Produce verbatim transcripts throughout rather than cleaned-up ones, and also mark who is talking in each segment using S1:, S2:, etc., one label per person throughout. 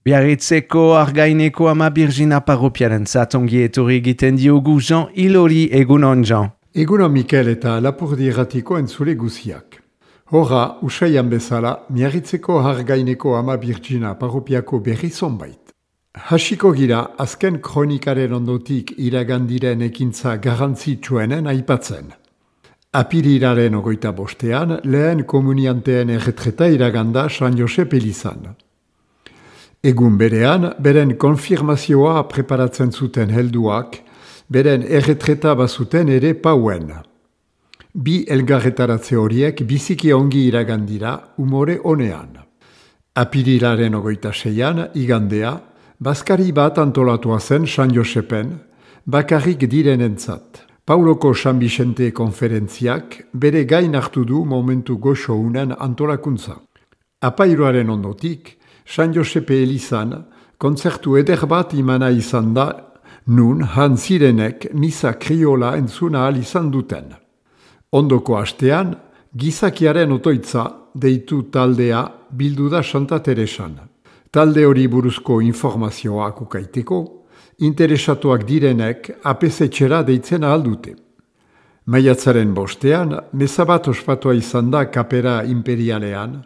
S1: Biarritzeko Argaineko Ama Birjina parropiaren zatongi etorri egiten diogu Jean Ilori egunon Jean.
S2: Egunon Mikel eta Lapurdi Erratiko entzule guziak. Horra, usaian bezala, Biarritzeko Argaineko Ama Birjina parropiako berri zonbait. Hasiko gira, azken kronikaren ondotik iragandiren ekintza garrantzitsuenen aipatzen. Apirilaren ogoita bostean, lehen komunianteen erretreta iraganda San Josep elizan. Egun berean, beren konfirmazioa preparatzen zuten helduak, beren erretreta bazuten ere pauen. Bi elgarretaratze horiek biziki ongi iragandira umore onean. Apirilaren ogoita seian, igandea, bazkari bat antolatua zen San Josepen, bakarrik direnentzat. Pauloko San Vicente konferentziak bere gain hartu du momentu goxo unen antolakuntza. Apairuaren ondotik, San Josepe elizan, kontzertu eder bat imana izan da, nun han zirenek misa kriola entzuna ahal izan duten. Ondoko astean, gizakiaren otoitza deitu taldea bildu da Santa Teresan. Talde hori buruzko informazioak ukaiteko, interesatuak direnek apesetxera deitzen ahal dute. Maiatzaren bostean, meza bat ospatua izan da kapera imperialean,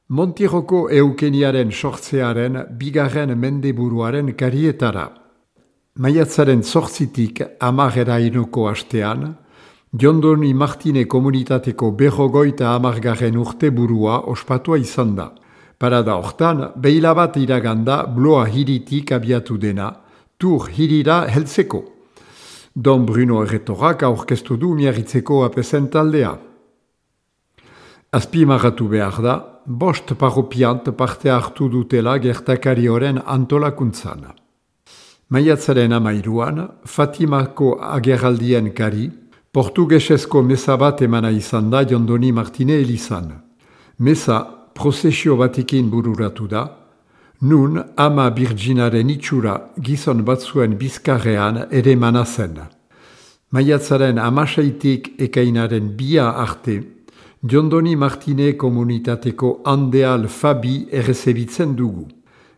S2: Montiroko eukeniaren sortzearen bigarren mendeburuaren karietara. Maiatzaren zortzitik amarera inuko astean, Jondoni Martine komunitateko berrogoita amargarren urte burua ospatua izan da. Parada hortan, behila bat iraganda bloa hiritik abiatu dena, tur hirira heltzeko. Don Bruno Erretorak aurkeztu du Biarritzeko apesen taldea. Azpimarratu behar da, bost parropiant parte hartu dutela gertakari horren antolakuntzan. Maiatzaren amairuan, Fatimako agerraldien kari, portugesezko meza bat emana izan da Jondoni Martine elizan. Meza prozesio batekin bururatu da, nun Ama Birjinaren itxura gizon batzuen bizkarrean ere mana zen. Maiatzaren amaseitik ekainaren bia arte, Jondoni Martine komunitateko Andeal Fabi errezebitzen dugu.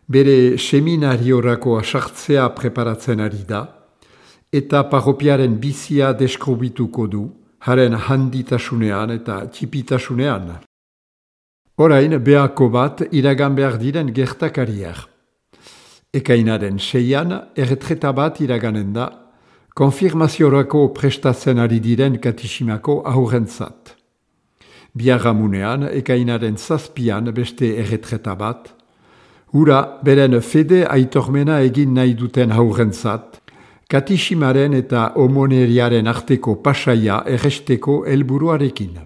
S2: Bere seminariorako asartzea preparatzen ari da, eta parropiaren bizia deskrobituko du, haren handitasunean eta txipitasunean. Orain, behako bat iragan behar diren gertakariak. Ekainaren seian, erretreta bat iraganen da, konfirmaziorako prestatzen ari diren katisimako aurrentzat. Biarramunean, ekainaren zazpian beste erretreta bat, hura beren fede aitormena egin nahi duten haurrentzat, katisimaren eta omoneriaren arteko pasaia erresteko helburuarekin.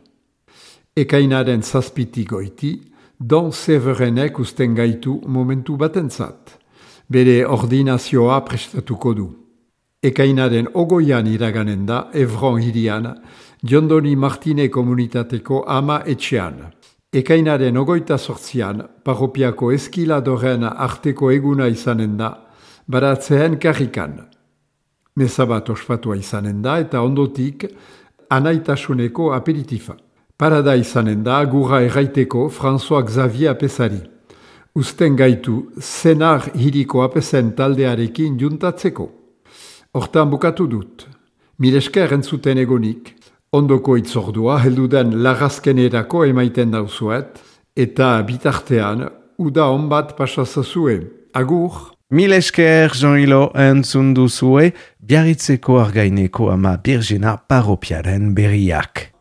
S2: Ekainaren zazpitik goiti, Don Severenek usten gaitu momentu batentzat, bere ordinazioa prestatuko du. Ekainaren ogoian iraganen da, Evron hirian, Jondoni Martine komunitateko ama etxean. Ekainaren ogoita sortzian, parropiako eskiladoren arteko eguna izanen da, baratzeen karrikan. Meza bat ospatua izanen da eta ondotik anaitasuneko aperitifa. Parada izanen da gura erraiteko François Xavier apesari. Usten gaitu Senar hiriko apesen taldearekin juntatzeko. Hortan bukatu dut. Milesker entzuten egonik. Ondoko itzordua helduden larrazkenerako emaiten dauzuet, eta bitartean, uda onbat pasazazue. Agur!
S1: Mil esker Jean Ilo entzun duzue Biarritzeko Argaineko Ama Birjina parropiaren berriak.